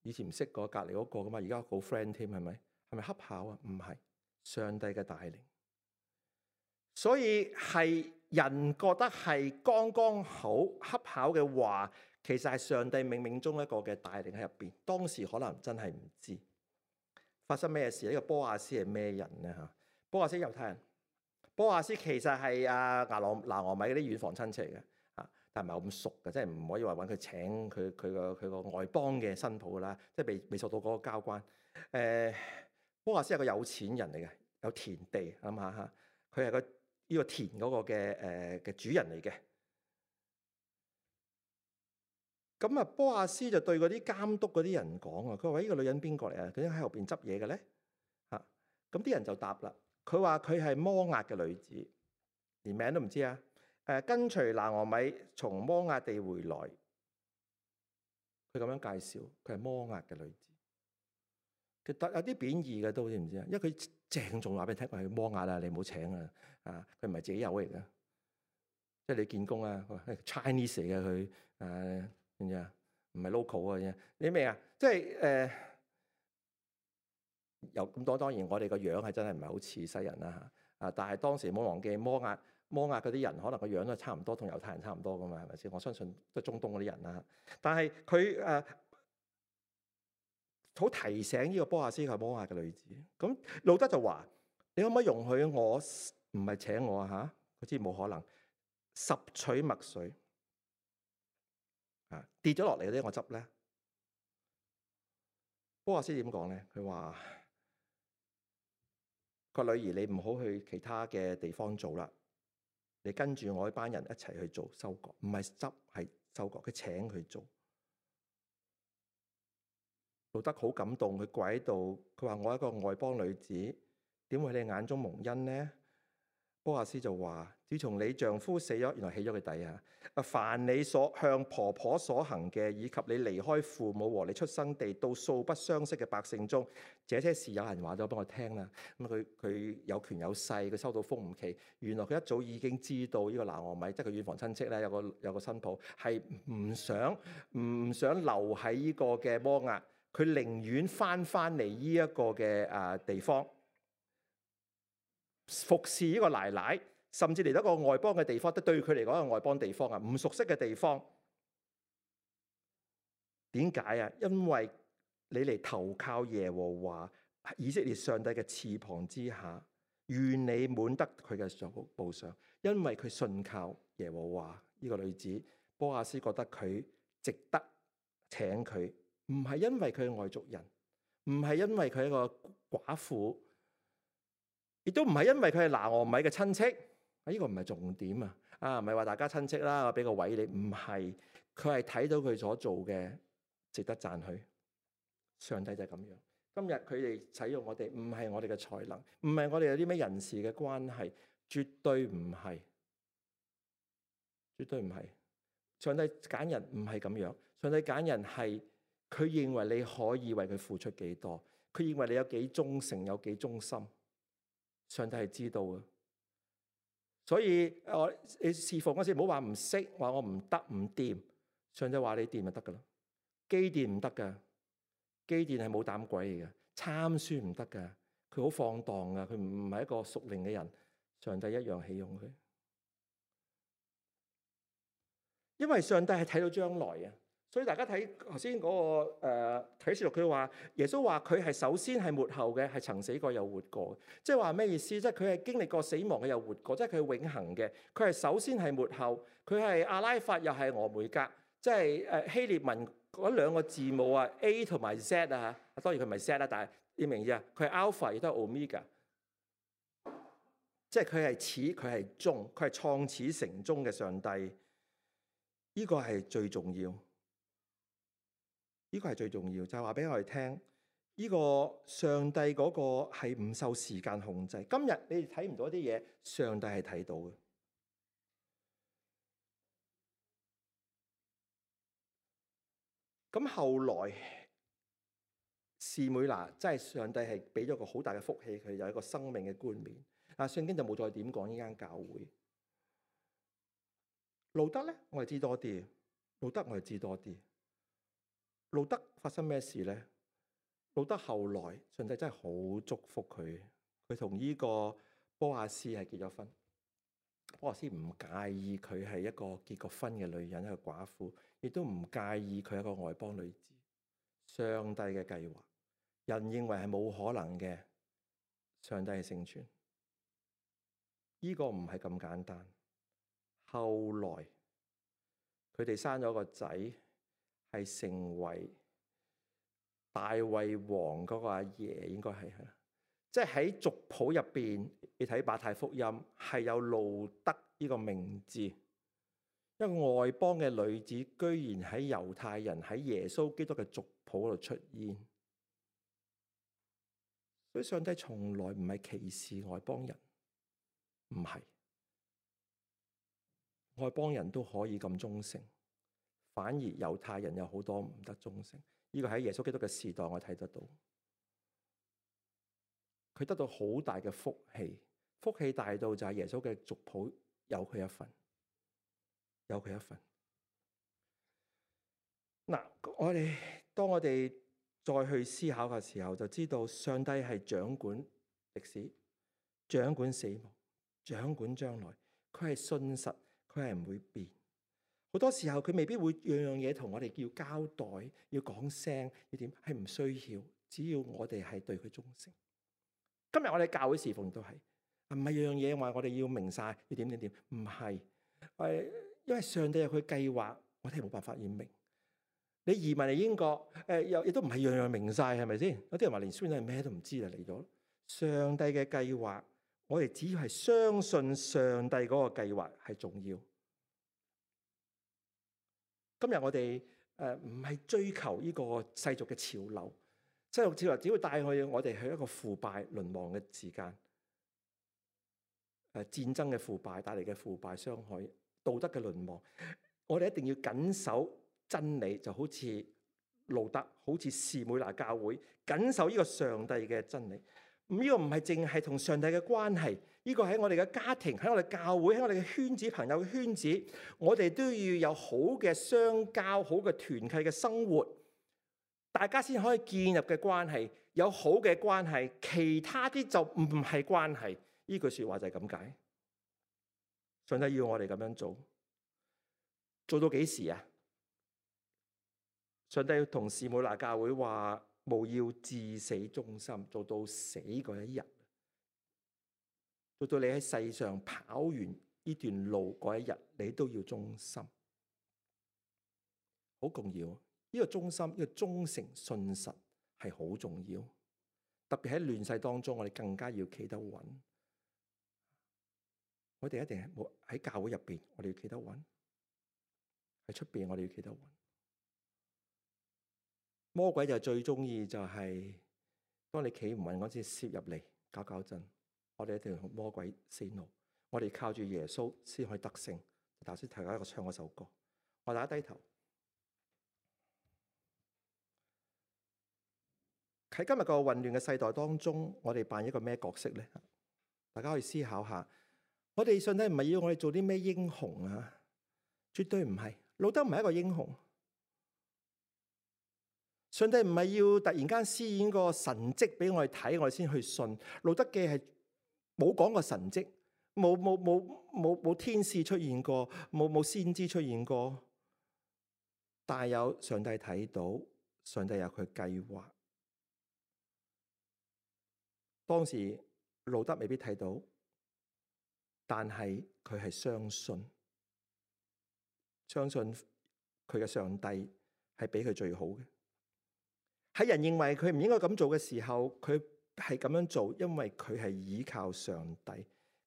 以前唔識過隔離嗰個噶嘛，而家好 friend 添，係咪？係咪恰巧啊？唔係，上帝嘅帶領。所以係人覺得係剛剛好恰巧嘅話，其實係上帝冥冥中一個嘅帶領喺入邊。當時可能真係唔知發生咩事。呢個波亞斯係咩人咧？嚇，波亞斯猶太人。波亞斯其實係阿拿羅拿俄米嗰啲遠房親戚嚟嘅嚇，但係唔係咁熟嘅，即係唔可以話揾佢請佢佢個佢個外邦嘅新抱啦，即係未未受到嗰個交關。誒，波亞斯係個有錢人嚟嘅，有田地諗下嚇，佢係個。呢個田嗰個嘅誒嘅主人嚟嘅，咁啊波亞斯就對嗰啲監督嗰啲人講啊，佢話：呢個女人邊個嚟啊？佢喺後邊執嘢嘅咧嚇。咁啲人就答啦，佢話佢係摩押嘅女子，連名都唔知啊。誒，跟隨拿俄米從摩押地回來，佢咁樣介紹，佢係摩押嘅女子。其實有啲貶義嘅都知唔知啊？因為佢鄭重話俾你聽，佢係摩押啦，你唔好請啊！啊，佢唔係自己有嚟嘅，即係你見工啊，Chinese 嚟嘅佢，誒點知啊？唔係 local 嘅啫。你明啊？即係誒，有咁多當然，我哋個樣係真係唔係好似西人啦嚇。啊，但係當時冇忘記摩押，摩押嗰啲人可能個樣都係差唔多，同猶太人差唔多噶嘛，係咪先？我相信都係中東嗰啲人啦。但係佢誒好提醒呢個波亞斯係摩押嘅女子。咁路德就話：你可唔可以容許我唔係請我啊？嚇，佢知冇可能。拾取麥穗啊，跌咗落嚟嗰啲我執咧。波亞斯點講咧？佢話：個女兒，你唔好去其他嘅地方做啦，你跟住我一班人一齊去做收割，唔係執係收割。佢請佢做。路德好感動，佢跪喺度，佢話：我一個外邦女子，點會喺你眼中蒙恩呢？波亞斯就話：自從你丈夫死咗，原來起咗佢底啊！啊，凡你所向婆婆所行嘅，以及你離開父母和你出生地到素不相識嘅百姓中，這些事有人話咗俾我聽啦。咁佢佢有權有勢，佢收到風唔奇。原來佢一早已經知道呢個拿俄米，即係佢遠房親戚咧，有個有個新抱係唔想唔想留喺呢個嘅摩押，佢寧願翻翻嚟呢一個嘅啊地方。服侍呢個奶奶，甚至嚟到一個外邦嘅地方，都對佢嚟講係外邦地方啊，唔熟悉嘅地方。點解啊？因為你嚟投靠耶和華以色列上帝嘅翅膀之下，願你滿得佢嘅報賞。因為佢信靠耶和華，呢個女子波亞斯覺得佢值得請佢，唔係因為佢係外族人，唔係因為佢係一個寡婦。亦都唔係因為佢係拿俄米嘅親戚，呢、這個唔係重點啊！啊，唔係話大家親戚啦，我俾個位你，唔係，佢係睇到佢所做嘅值得讚許。上帝就係咁樣。今日佢哋使用我哋，唔係我哋嘅才能，唔係我哋有啲咩人事嘅關係，絕對唔係，絕對唔係。上帝揀人唔係咁樣，上帝揀人係佢認為你可以為佢付出幾多，佢認為你有幾忠誠，有幾忠心。上帝係知道嘅，所以我你侍奉嗰時唔好話唔識，話我唔得唔掂。上帝話你掂就得噶啦。基甸唔得噶，基甸係冇膽鬼嚟嘅，參孫唔得噶，佢好放蕩噶，佢唔係一個屬靈嘅人。上帝一樣起用佢，因為上帝係睇到將來啊。所以大家睇頭先嗰個誒啟示錄，佢話耶穌話佢係首先係末後嘅，係曾死過又活過。即係話咩意思？即係佢係經歷過死亡嘅又活過，即係佢係永恆嘅。佢係首先係末後，佢係阿拉法又係俄梅格，即係誒希臘文嗰兩個字母啊 A 同埋 Z 啊。當然佢唔係 Z 啦，但係你明唔明啊？佢係 Alpha 亦都係 Omega，即係佢係始，佢係終，佢係創始成終嘅上帝。呢個係最重要。呢個係最重要，就係話俾我哋聽，呢個上帝嗰個係唔受時間控制。今日你哋睇唔到一啲嘢，上帝係睇到嘅。咁後來士每拿，真係上帝係俾咗個好大嘅福氣，佢有一個生命嘅冠冕。但係聖經就冇再點講呢間教會。路德咧，我哋知多啲。路德我哋知多啲。路德發生咩事咧？路德後來上帝真係好祝福佢，佢同呢個波亞斯係結咗婚。波亞斯唔介意佢係一個結過婚嘅女人，一個寡婦，亦都唔介意佢係一個外邦女子。上帝嘅計劃，人認為係冇可能嘅，上帝係成全。呢個唔係咁簡單。後來佢哋生咗個仔，係成為大衛王嗰個阿爺，應該係，即係喺族譜入邊，你睇馬太福音係有路德呢個名字，一個外邦嘅女子，居然喺猶太人喺耶穌基督嘅族譜度出現。所以上帝從來唔係歧視外邦人，唔係，外邦人都可以咁忠誠。反而猶太人有好多唔得忠誠，呢個喺耶穌基督嘅時代我睇得到，佢得到好大嘅福氣，福氣大到就係耶穌嘅族譜有佢一份。有佢一份。嗱，我哋當我哋再去思考嘅時候，就知道上帝係掌管歷史、掌管死亡、掌管將來。佢係信實，佢係唔會變。好多時候佢未必會樣樣嘢同我哋要交代、要講聲、要點，係唔需要。只要我哋係對佢忠誠。今日我哋教會侍奉都係，唔係樣樣嘢話我哋要明晒，要點點點，唔係。誒，因為上帝有佢計劃，我哋係冇辦法要明。你移民嚟英國，誒又亦都唔係樣樣明晒，係咪先？有啲人話連孫仔咩都唔知就嚟咗。上帝嘅計劃，我哋只要係相信上帝嗰個計劃係重要。今日我哋誒唔係追求呢個世俗嘅潮流，世俗潮流只會帶去我哋去一個腐敗淪亡嘅時間。誒戰爭嘅腐敗帶嚟嘅腐敗傷害，道德嘅淪亡，我哋一定要緊守真理，就好似路德，好似士每拿教會緊守呢個上帝嘅真理。咁呢個唔係淨係同上帝嘅關係，呢個喺我哋嘅家庭，喺我哋教會，喺我哋嘅圈子、朋友嘅圈子，我哋都要有好嘅相交、好嘅團契嘅生活，大家先可以建立嘅關係，有好嘅關係，其他啲就唔係關係。呢句說話就係咁解。上帝要我哋咁樣做，做到幾時啊？上帝要同士每拿教會話，務要至死忠心，做到死嗰一日，做到你喺世上跑完呢段路嗰一日，你都要忠心。好重要，呢個忠心，呢個忠誠信實係好重要。特別喺亂世當中，我哋更加要企得穩。我哋一定係冇喺教會入邊，我哋要企得穩；喺出邊，我哋要企得穩。魔鬼就最中意就係當你企唔穩嗰陣，攝入嚟搞搞震。我哋一定要同魔鬼 say no。我哋靠住耶穌先可以得勝。頭先提咗一個唱嗰首歌，我大家低頭。喺今日個混亂嘅世代當中，我哋扮一個咩角色咧？大家可以思考下。我哋上帝唔係要我哋做啲咩英雄啊，絕對唔係。路德唔係一個英雄。上帝唔係要突然間施展個神蹟俾我哋睇，我哋先去信。路德記係冇講過神蹟，冇冇冇冇冇天使出現過，冇冇先知出現過，但係有上帝睇到，上帝有佢計劃。當時路德未必睇到，但係佢係相信，相信佢嘅上帝係俾佢最好嘅。喺人認為佢唔應該咁做嘅時候，佢係咁樣做，因為佢係依靠上帝，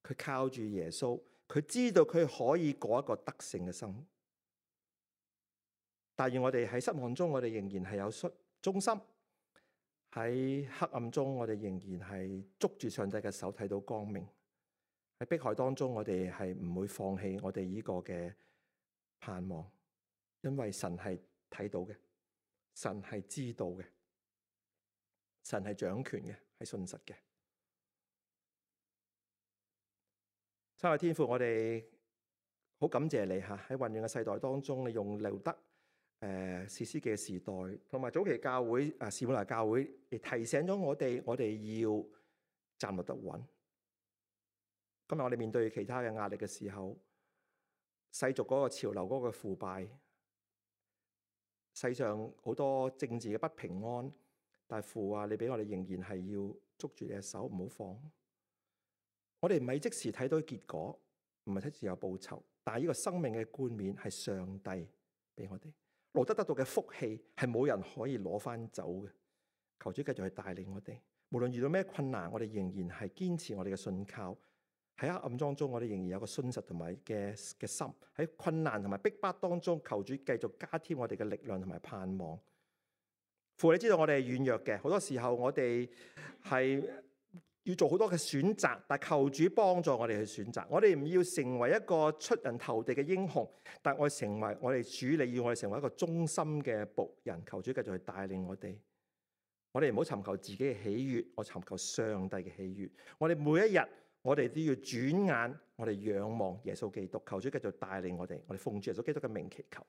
佢靠住耶穌，佢知道佢可以過一個得勝嘅生活。但願我哋喺失望中，我哋仍然係有忠心；喺黑暗中，我哋仍然係捉住上帝嘅手，睇到光明。喺迫害當中，我哋係唔會放棄我哋呢個嘅盼望，因為神係睇到嘅，神係知道嘅，神係掌權嘅，係信實嘅。三位天父，我哋好感謝你吓，喺混亂嘅世代當中，你用路德誒士師記嘅時代，同埋早期教會啊士每拿教會，嚟提醒咗我哋，我哋要站立得穩。今日我哋面對其他嘅壓力嘅時候，世俗嗰個潮流嗰個腐敗，世上好多政治嘅不平安，但係父啊，你俾我哋仍然係要捉住你嘅手，唔好放。我哋唔係即時睇到結果，唔係即時有報酬，但係呢個生命嘅冠冕係上帝俾我哋。路德得到嘅福氣係冇人可以攞翻走嘅。求主繼續去帶領我哋，無論遇到咩困難，我哋仍然係堅持我哋嘅信靠。喺黑暗當中，我哋仍然有個信實同埋嘅嘅心。喺困難同埋逼迫當中，求主繼續加添我哋嘅力量同埋盼望。父，你知道我哋係軟弱嘅，好多時候我哋係要做好多嘅選擇，但求主幫助我哋去選擇。我哋唔要成為一個出人頭地嘅英雄，但我成為我哋主理，要我哋成為一個忠心嘅僕人。求主繼續去帶領我哋。我哋唔好尋求自己嘅喜悅，我尋求上帝嘅喜悅。我哋每一日，我哋都要轉眼，我哋仰望耶穌基督，求主繼續帶領我哋，我哋奉主耶穌基督嘅名祈求。